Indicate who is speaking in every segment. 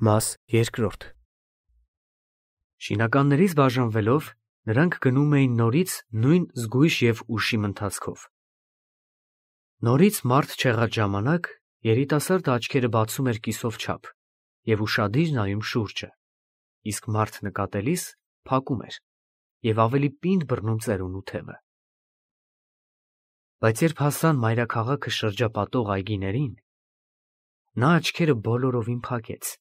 Speaker 1: Մաս երկրորդ Շինականներից բաժանվելով նրանք գնում էին նորից նույն զգույշ և ուշիմ ընթացքով։ Նորից մարդ չեղած ժամանակ երիտասարդը աչքերը բացում էր կիսով չափ և ուշադիր նայում շուրջը, իսկ մարդ նկատելիս փակում էր և ավելի պինդ բռնում ծերունու թևը։ Բայց երբ հասան մայրաքաղաքը շրջապատող այգիներին, նա աչքերը բոլորովին փակեց,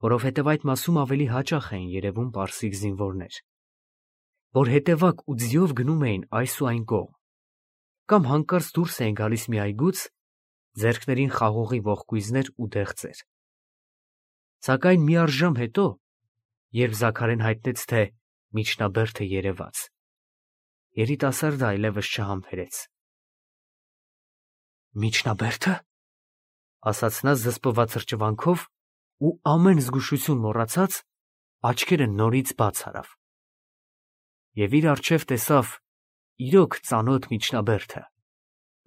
Speaker 1: որովհետև այդ մասում ավելի հաճախ էին երևում պարսիկ զինվորներ, որ հետևակ ու ձիով գնում էին այս ու այն կողմ, կամ հանկարծ դուրս էին գալիս մի այգուց, ձեռքներին խաղողի ողկույզներ ու դեղձեր։ Սակայն միառժամ հետո, երբ Զաքարեն հայտնեց, թե միջնաբերդը երևաց, երիտասարդը այլևս չհամբերեց։ Միջնաբերդը, ասաց նա զսպված հրճվանքով ու ամեն զգուշություն մոռացած աչքերը նորից բաց արավ։ Եվ իր առջև տեսավ իրոք ծանոթ միջնաբերդը,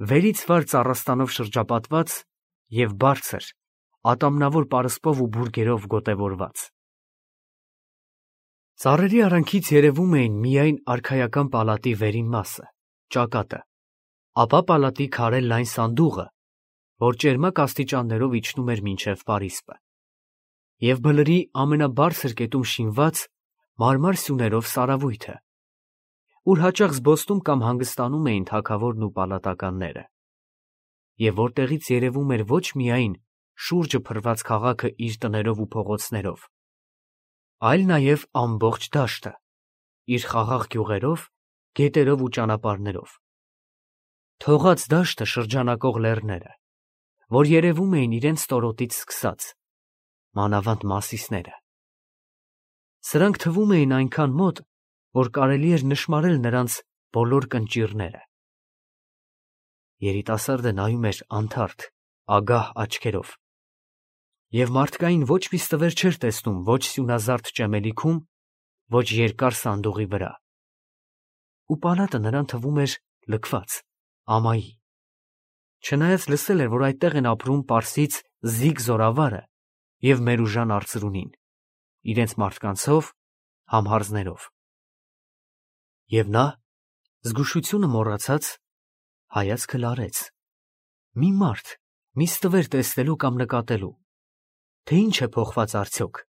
Speaker 1: վերից վար ծառաստանով շրջապատված և բարձր, ատամնավոր պարսպով ու բուրգերով գոտևորված։ Ծառերի արանքից երևում էին միայն արքայական պալատի վերին մասը, ճակատը, ապա պալատի քարե լայն սանդուղը, որ ճերմակ աստիճաններով իջնում էր մինչև պարիսպը, և բլրի ամենաբարձր կետում շինված մարմար սյուներով սարավույթը, ուր հաճախ զբոսնում կամ հանգստանում էին թագավորն ու պալատականները, և որտեղից երևում էր ոչ միայն շուրջը փռված քաղաքը իր տներով ու փողոցներով, այլ նաև ամբողջ դաշտը, իր խաղաղ գյուղերով, գետերով ու ճանապարհներով, թողած դաշտը շրջանակող լեռները, որ երևում էին իրենց ստորոտից սկսած, մանավանդ Մասիսները։ Սրանք թվում էին այնքան մոտ, որ կարելի էր նշմարել նրանց բոլոր կնճիռները։ Երիտասարդը նայում էր անթարթ, ագահ աչքերով, և մարդկային ոչ մի ստվեր չէր տեսնում ոչ սյունազարդ ճեմելիքում, ոչ երկար սանդուղի վրա։ Ու պալատը նրան թվում էր լքված, ամայի, չնայած լսել էր, որ այդտեղ են ապրում պարսից Զիգ զորավարը և Մերուժան արծրունին, իրենց մարդկանցով, համհարձներով։ Եվ նա, զգուշությունը մոռացած, հայացքը լարեց, մի մարդ, մի ստվեր տեսնելու կամ նկատելու, թե ինչ է փոխված արդյոք,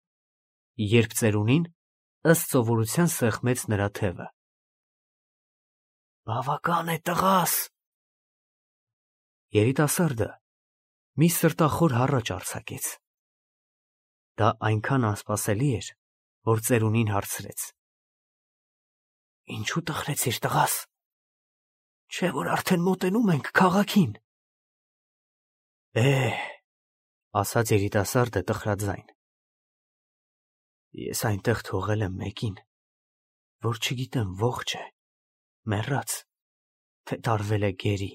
Speaker 1: երբ ծերունին ըստ սովորության սեղմեց նրա թևը։ Բավական է, տղաս։ Երիտասարդը մի սրտախոր հառաչ արձակեց։ Դա այնքան անսպասելի էր, որ ծերունին հարցրեց. Ինչու տխրեցիր, տղաս, չէ՞ որ արդեն մոտենում ենք քաղաքին։ Ասաց երիտասարդը տխրաձայն, ես այնտեղ թողել եմ մեկին, որ չգիտեմ ողջ է, մեռած, թե տարվել է գերի։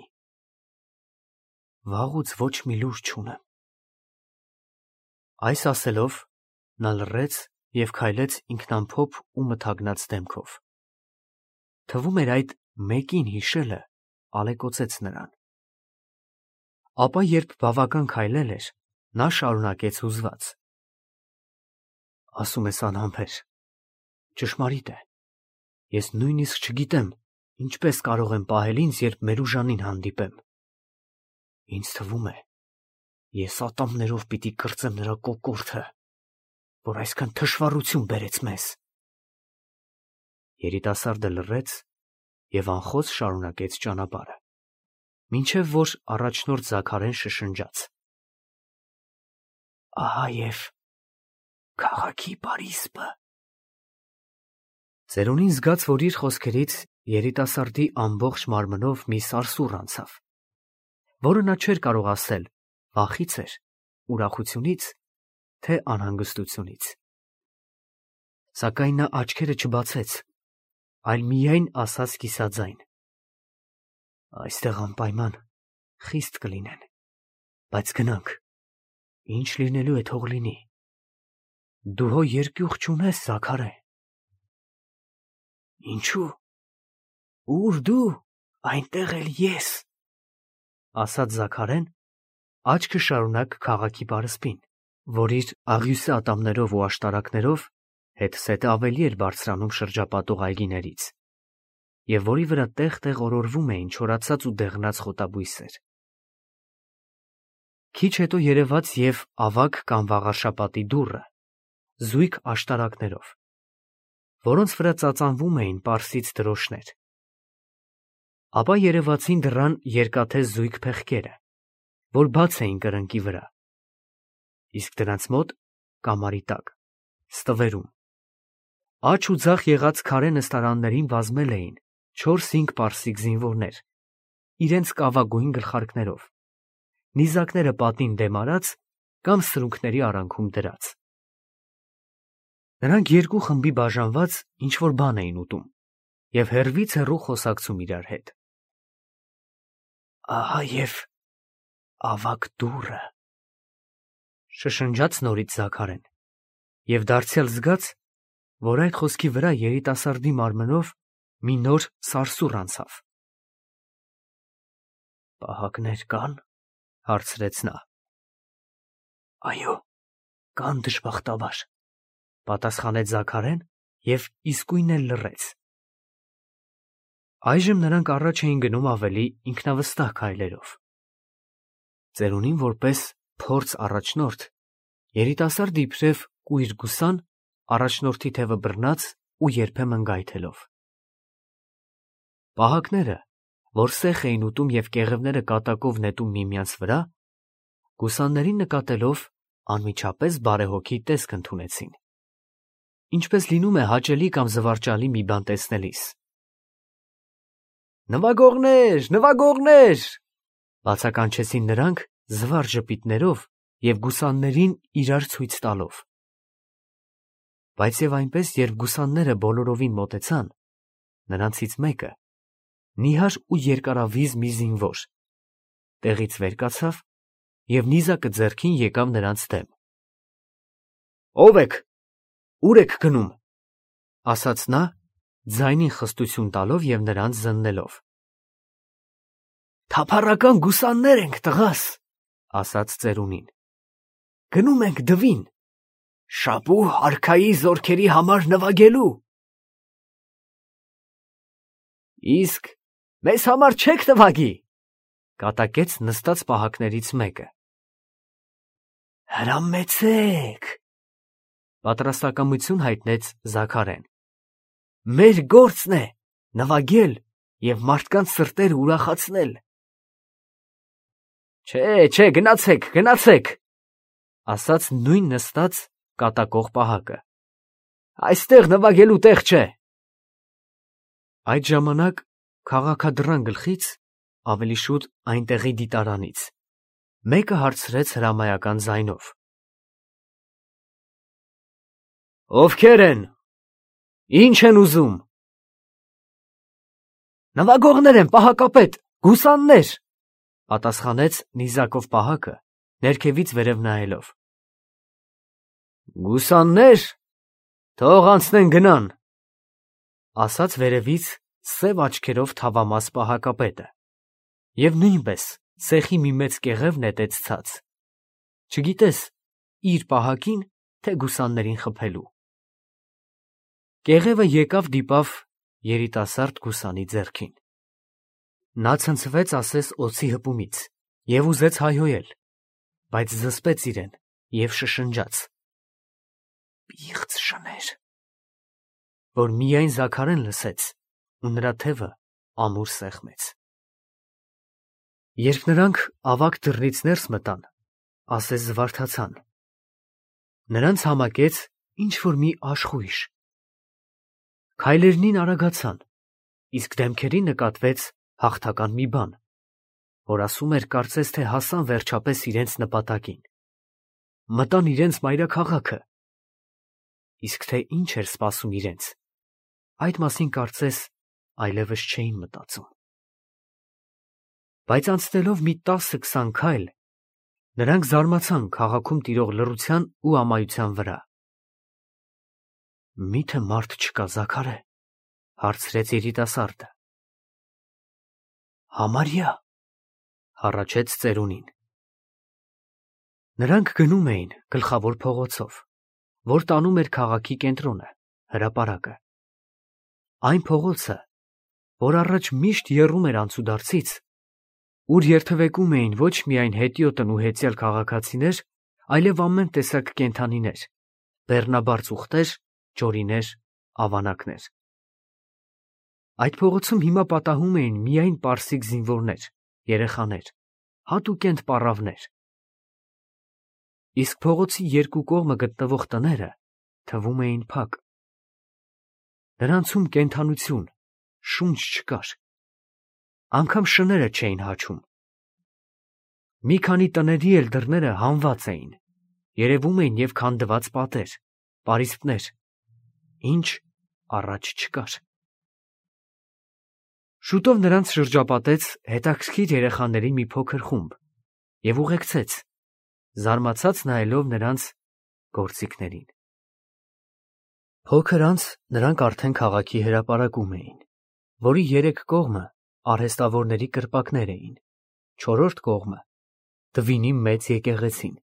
Speaker 1: Վաղուց ոչ մի լուր չունեմ։ Այս ասելով, նա լռեց և քայլեց ինքնամփոփ ու մթագնած դեմքով։ Թվում էր այդ մեկին հիշելը ալեկոծեց նրան։ Ապա երբ բավական քայլել էր, նա շարունակեց հուզված. Ասում ես անհամբեր, ճշմարիտ է, ես նույնիսկ չգիտեմ ինչպես կարող եմ պահել ինձ, երբ Մերուժանին հանդիպեմ։ Ինձ թվում է, ես ատամներով պիտի կրծեմ նրա կոկորդը, որ այսքան թշվառություն բերեց մեզ։ Երիտասարդը լռեց և անխոս շարունակեց ճանապարհը, մինչև որ առաջնորդ Զաքարեն շշնջաց. Ահա և քաղաքի պարիսպը։ Ծերունին զգաց, որ իր խոսքերից երիտասարդի ամբողջ մարմնով մի սարսուռ անցավ, որը նա չէր կարող ասել վախից էր, ուրախությունից, թե անհանգստությունից։ Սակայն նա աչքերը չբացեց, այլ միայն ասաց կիսաձայն. Այստեղ անպայման խիստ կլինեն, բայց գնանք, ինչ լինելու է թող լինի։ Դու հո երկյուղ չունես, Զաքարե։ Ինչու՞։ Ուր դու, այնտեղ էլ ես, ասաց Զաքարեն, աչքը շարունակ քաղաքի պարսպին, որ իր աղյուսե ատամներով ու աշտարակներով հետսետը ավելի էր բարձրանում շրջապատող այգիներից, և որի վրա տեղ-տեղ օրորվում էին չորացած ու դեղնած խոտաբույսեր։ Քիչ հետո երևաց և ավագ կամ վաղարշապատի դուռը, զույգ աշտարակներով, որոնց վրա ծածանվում էին պարսից դրոշներ։ Ապա երևացին դռան երկաթե զույգ փեղկերը, որ բաց էին կրնկի վրա, իսկ դրանց մոտ կամարի տակ, ստվերում, աջ ու ձախ եղած քարե նստարաններին բազմել էին 4-5 պարսիկ զինվորներ, իրենց կավագույն գլխարկներով, նիզակները պատին դեմ արած կամ սրունքների արանքում դրած։ Նրանք երկու խմբի բաժանված ինչ-որ բան էին ուտում և հեռվից հեռու խոսակցում իրար հետ։ Ահա և ավագ դուռը, շշնջաց նորից Զաքարեն, և դարձյալ զգաց, որ այդ խոսքի վրա երիտասարդի մարմնով մի նոր սարսուռ անցավ։ Պահակներ կա՞ն, հարցրեց նա։ Այո, կան, դժբախտաբար, պատասխանեց Զաքարեն և իսկույն էլ լռեց։ Այժմ նրանք առաջ էին գնում ավելի ինքնավստահ քայլերով։ Ծերունին որպես փորձ առաջնորդ, երիտասարդը իբրև կույր գուսան, առաջնորդի թևը բռնած ու երբեմն գայթելով։ Պահակները, որ սեխ էին ուտում և կեղևները կատակով նետում միմյանց վրա, գուսաններին նկատելով անմիջապես բարեհոգի տեսք ընդունեցին, ինչպես լինում է հաճելի կամ զվարճալի մի բան տեսնելիս։ Նվագողնե՛ր, նվագողնե՛ր, բացականչեցին նրանք զվարճ ժպիտներով և գուսաններին իրար ցույց տալով։ Բայց և այնպես, երբ գուսանները բոլորովին մոտեցան, նրանցից մեկը, նիհար ու երկարավիզ մի զինվոր, տեղից վեր կացավ և նիզակը ձեռքին եկավ նրանց դեմ։ Ո՞վ եք, ուր եք գնում, ասաց նա, ձայնին խստություն տալով և նրանց զննելով։ Թափառական գուսաններ ենք, տղաս, ասաց ծերունին, գնում ենք դվին, Շապու արքայի զորքերի համար նվագելու։ Իսկ մեզ համար չեք նվագի, կատակեց նստած պահակներից մեկը։ Հրամեցեք, պատրաստակամություն հայտնեց Զաքարեն։ Մեր գործն է նվագել և մարդկանց սրտերը ուրախացնել։ Չէ, գնացեք, գնացեք, ասաց նույն նստած կատակող պահակը։ Այստեղ նվագելու տեղ չէ։ Այդ ժամանակ քաղաքադռան գլխից, ավելի շուտ այնտեղի դիտարանից, մեկը հարցրեց հրամայական ձայնով. Ովքեր են, ինչ են ուզում։ Նվագողներ են, պահակապետ, գուսաններ, պատասխանեց նիզակով պահակը, ներքևից վերև նայելով։ Գուսաններ, թող անցնեն գնան, ասաց վերևից սև աչքերով թավամաս պահակապետը, և նույնպես սեխի մի մեծ կեղև նետեց ցած, չգիտես իր պահակին, թե գուսաններին խփելու։ Կեղևը եկավ դիպավ երիտասարդ գուսանի ձեռքին։ Նա ցնցվեց ասես օձի հպումից և ուզեց հայհոյել, բայց զսպեց իրեն և շշնջաց. Պիղծ շներ, որ միայն Զաքարեն լսեց ու նրա թևը ամուր սեղմեց։ Երբ նրանք ավագ դռնից ներս մտան, ասես զվարթացան, նրանց համակեց ինչ-որ մի աշխույժ։ Քայլերնին արագացան, իսկ դեմքերին նկատվեց հաղթական մի բան, որ ասում էր կարծես թե հասան վերջապես իրենց նպատակին, մտան իրենց մայրաքաղաքը, իսկ թե ինչ էր սպասում իրենց, այդ մասին կարծես այլևս չէին մտածում։ Բայց անցնելով մի 10-20 քայլ, նրանք զարմացան քաղաքում տիրող լռության ու ամայության վրա։ Մի՞թե մարդ չկա, Զաքարե, հարցրեց երիտասարդը։ Համարյա, հառաչեց ծերունին։ Նրանք գնում էին գլխավոր փողոցով, որ տանում էր քաղաքի կենտրոնը, հրապարակը։ Այն փողոցը, որ առաջ միշտ եռում էր անցուդարձից, ուր երթևեկում էին ոչ միայն հետիոտն ու հետյալ քաղաքացիներ, այլև ամեն տեսակ կենդանիներ, բեռնաբար ծուխտեր, ճորիներ, ավանակներ։ Այդ փողոցում հիմա պատահում էին միայն պարսիկ զինվորներ, երեխաներ, հատուկենտ պառավներ։ Իսկ փողոցի երկու կողմը գտնվող տները թվում էին փակ։ Նրանցում կենդանություն, շունչ չկար։ Անգամ շները չէին հաչում։ Մի քանի տների էլ դռները հանված էին, երևում էին և քանդված պատեր, պարիսպներ, ինչ առաջ չկար։ Շուտով նրանց շրջապատեց հետաքրքիր երեխաների մի փոքր խումբ և ուղեկցեց, զարմացած նայելով նրանց գործիքներին։ Փոքր անց նրանք արդեն քաղաքի հրապարակում էին, որի երեք կողմը արհեստավորների կրպակներ էին, չորրորդ կողմը Դվինի մեծ եկեղեցին,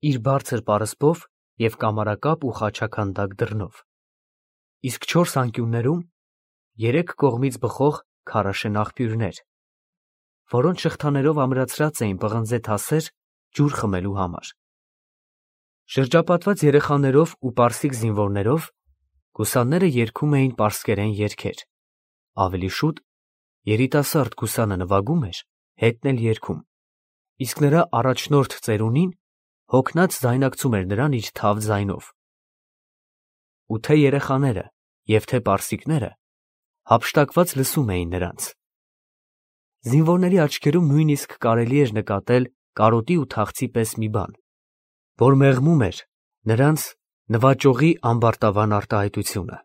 Speaker 1: իր բարձր պարսպով և կամարակապ ու խաչաքանդակ դռնով, իսկ չորս անկյուններում երեք կողմից բխող քարաշեն աղբյուրներ, որոնց շղթաներով ամրացրած էին պղնձե թասեր ջուր խմելու համար։ Շրջապատված երեխաներով ու պարսիկ զինվորներով գուսանները երգում էին պարսկերեն երգեր, ավելի շուտ երիտասարդ գուսանը նվագում էր, հետն էլ երգում, իսկ նրա առաջնորդ ծերունին հոգնած ձայնակցում էր նրան իր թավ ձայնով։ Ու թե երեխաները և թե պարսիկները հափշտակված լսում էին նրանց։ Զինվորների աչքերում նույնիսկ կարելի էր նկատել կարոտի ու թախծի պես մի բան, որ մեղմում էր նրանց նվաճողի ամբարտավան արտահայտությունը։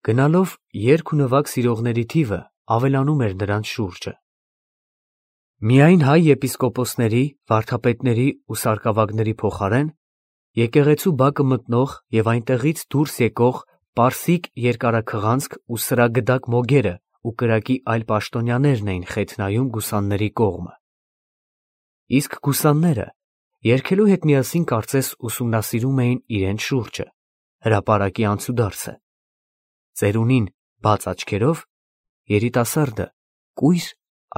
Speaker 1: Գնալով երգ ու նվագ սիրողների թիվը ավելանում էր նրանց շուրջը։ Միայն հայ եպիսկոպոսների, վարդապետների ու սարկավագների փոխարեն եկեղեցու բակը մտնող և այնտեղից դուրս եկող պարսիկ երկարաքղանցք ու սրագդակ մոգերը ու կրակի այլ պաշտոնյաներն էին խեթ նայում գուսանների կողմը։ Իսկ գուսանները երգելու հետ միասին կարծես ուսումնասիրում էին իրենց շուրջը, հրապարակի անցուդարձը, ծերունին բաց աչքերով, երիտասարդը կույր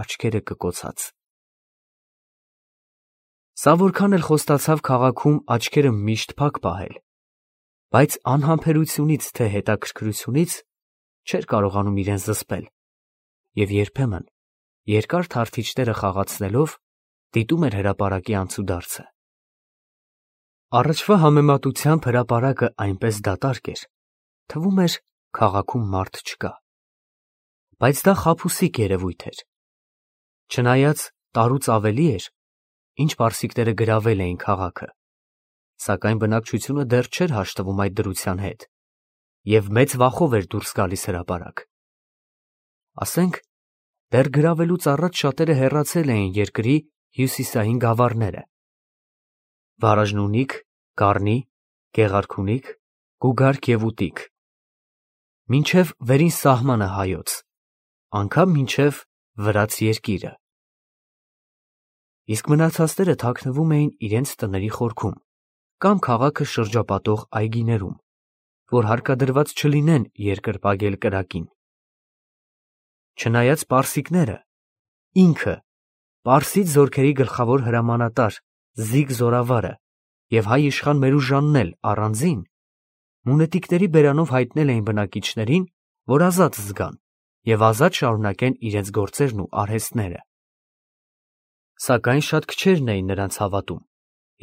Speaker 1: աչքերը կկոցած։ Սա որքան էլ խոստացավ քաղաքում աչքերը միշտ փակ պահել, բայց անհամբերությունից թե հետաքրքրությունից չէր կարողանում իրեն զսպել և երբեմն երկար թարթիչները խաղացնելով դիտում էր հրապարակի անցուդարձը։ Առաջվա համեմատությամբ հրապարակը այնպես դատարկ էր, թվում էր քաղաքում մարդ չկա, բայց դա խաբուսիկ երևույթ էր։ Չնայած տարուց ավելի էր, ինչ պարսիկները գրավել էին քաղաքը, սակայն բնակչությունը դեռ չէր հաշտվում այդ դրության հետ և մեծ վախով էր դուրս գալիս հրապարակ։ Ասենք, դեռ գրավելուց առաջ շատերը հեռացել էին երկրի հյուսիսային գավառները՝ Վարաժնունիք, Գառնի, Գեղարքունիք, Գուգարք և Ուտիք, մինչև վերին սահմանը հայոց, անգամ մինչև վրաց երկիրը։ Իսկ մնացածները թաքնվում էին իրենց տների խորքում կամ քաղաքը շրջապատող այգիներում, որ հարկադրված չլինեն երկրպագել կրակին։ Չնայած պարսիկները, ինքը, պարսից զորքերի գլխավոր հրամանատար Զիգ Զորավարը և հայ իշխան Մերուժանն էլ առանձին, մունետիկների բերանով հայտնել էին բնակիչներին, որ ազատ զգան և ազատ շարունակեն իրենց գործերն ու արհեստները։ Սակայն շատ քչերն էին նրանց հավատում,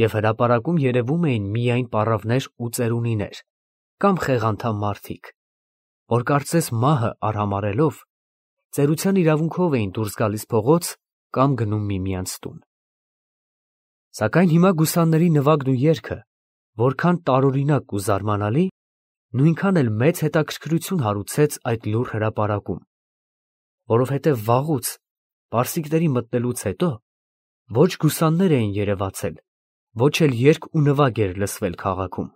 Speaker 1: և հրապարակում երևում էին միայն պառավներ ու ծերունիներ կամ խեղանդամ մարդիկ, որ կարծես մահը արհամարհելով, ծերության իրավունքով էին դուրս գալիս փողոց կամ գնում միմյանց տուն։ Սակայն հիմա գուսանների նվագն ու երգը որքան տարօրինակ ու զարմանալի, նույնքան էլ մեծ հետաքրքրություն հարուցեց այդ լուռ հրապարակում, որովհետև վաղուց, պարսիկների մտնելուց հետո, ոչ գուսաններ էին երևացել, ոչ էլ երգ ու նվագ էր լսվել քաղաքում։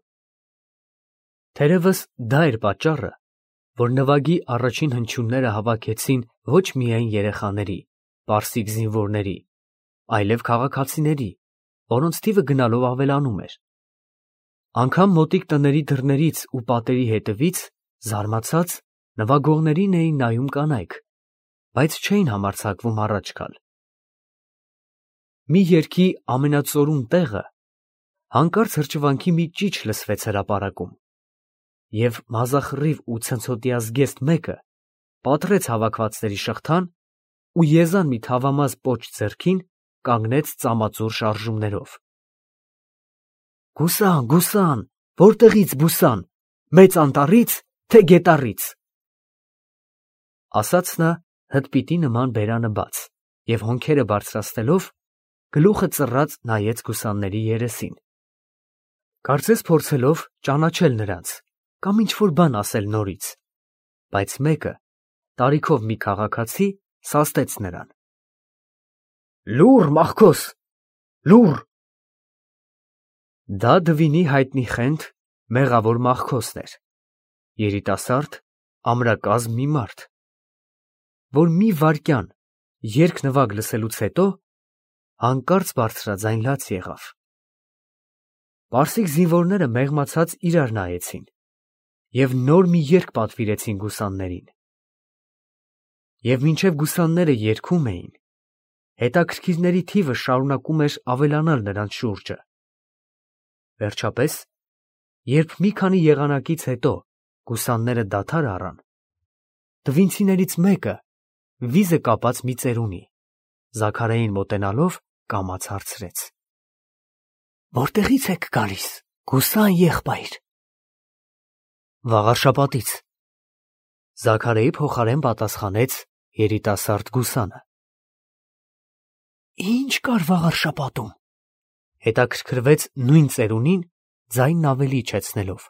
Speaker 1: Թերևս դա էր պատճառը, որ նվագի առաջին հնչյունները հավաքեցին ոչ միայն երեխաների, պարսիկ զինվորների, այլև քաղաքացիների, որոնց թիվը գնալով ավելանում էր։ Անգամ մոտիկ տների դռներից ու պատերի հետևից, զարմացած, նվագողներին էին նայում կանայք, բայց չէին համարձակվում առաջ գալ։ Մի երգի ամենածորուն տեղը հանկարծ հրճվանքի մի ճիչ լսվեց հրապարակում, և մազախռիվ ու ցնցոտյա զգեստ մեկը պատռեց հավաքվածների շղթան ու եզան մի թավամաս պոչ ձեռքին կանգնեց ծամածուր շարժումներով։ «Գուսան, գուսան, որտեղից բուսան, մեծ անտառի՞ց, թե գետառից», ասաց նա հդպիտի նման բերանը բաց և հոնքերը բարձրացնելով, գլուխը ծռած նայեց գուսանների երեսին, կարծես փորձելով ճանաչել նրանց կամ ինչ-որ բան ասել նորից, բայց մեկը, տարիքով մի քաղաքացի, սաստեց նրան. «Լուռ, մախքոս, լուռ»։ Դա Դվինի հայտնի խենթ մեղավոր Մախքոսն էր, երիտասարդ, ամրակազմ մի մարդ, որ մի վայրկյան երգ-նվագ լսելուց հետո հանկարծ բարձրաձայն լաց եղավ։ Պարսիկ զինվորները մեղմացած իրար նայեցին և նոր մի երգ պատվիրեցին գուսաններին։ Եվ մինչև գուսանները երգում էին, հետաքրքիրների թիվը շարունակում էր ավելանալ նրանց շուրջը։ Վերջապես, երբ մի քանի եղանակից հետո գուսանները դադար առան, տվինցիներից մեկը, վիզը կապած մի ծերունի, Զաքարիային մոտենալով կամաց հարցրեց. «Որտեղից եք գալիս, գուսան եղբայր»։ «Վաղարշապատից», Զաքարիայի փոխարեն պատասխանեց երիտասարդ գուսանը։ «Ի՞նչ կար Վաղարշապատում», հետաքրքրվեց նույն ծերունին ձայնն ավելի իջեցնելով,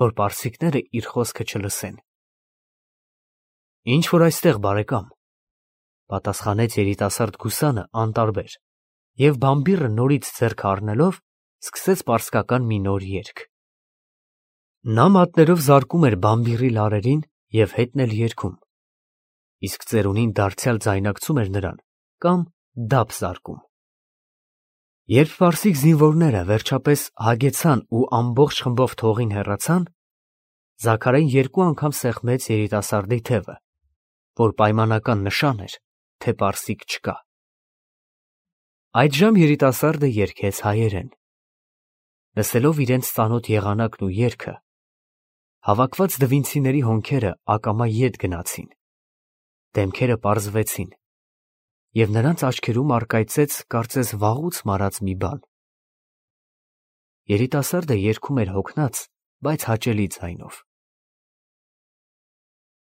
Speaker 1: որ պարսիկները իր խոսքը չլսեն։ «Ինչ որ այստեղ, բարեկամ», պատասխանեց երիտասարդ գուսանը անտարբեր և բամբիռը նորից ձեռքը առնելով սկսեց պարսկական մի նոր երգ։ Նա մատներով զարկում էր բամբիռի լարերին և հետն էլ երգում, իսկ ծերունին դարձյալ ձայնակցում էր նրան կամ դափ զարկում։ Երբ պարսիկ զինվորները վերջապես հագեցան ու ամբողջ խմբով թողին հեռացան, Զաքարին երկու անգամ սեղմեց երիտասարդի թևը, որ պայմանական նշան էր, թե պարսիկ չկա։ Այդժամ երիտասարդը երգեց հայերեն։ Լսելով իրենց ծանոթ եղանակն ու երգը, հավաքված դվինցիների հոնքերը ակամա ետ գնացին, դեմքերը պարզվեցին, և նրանց աչքերում առկայծեց կարծես վաղուց մարած մի բան։ Երիտասարդը երգում էր հոգնած, բայց հաճելի ձայնով։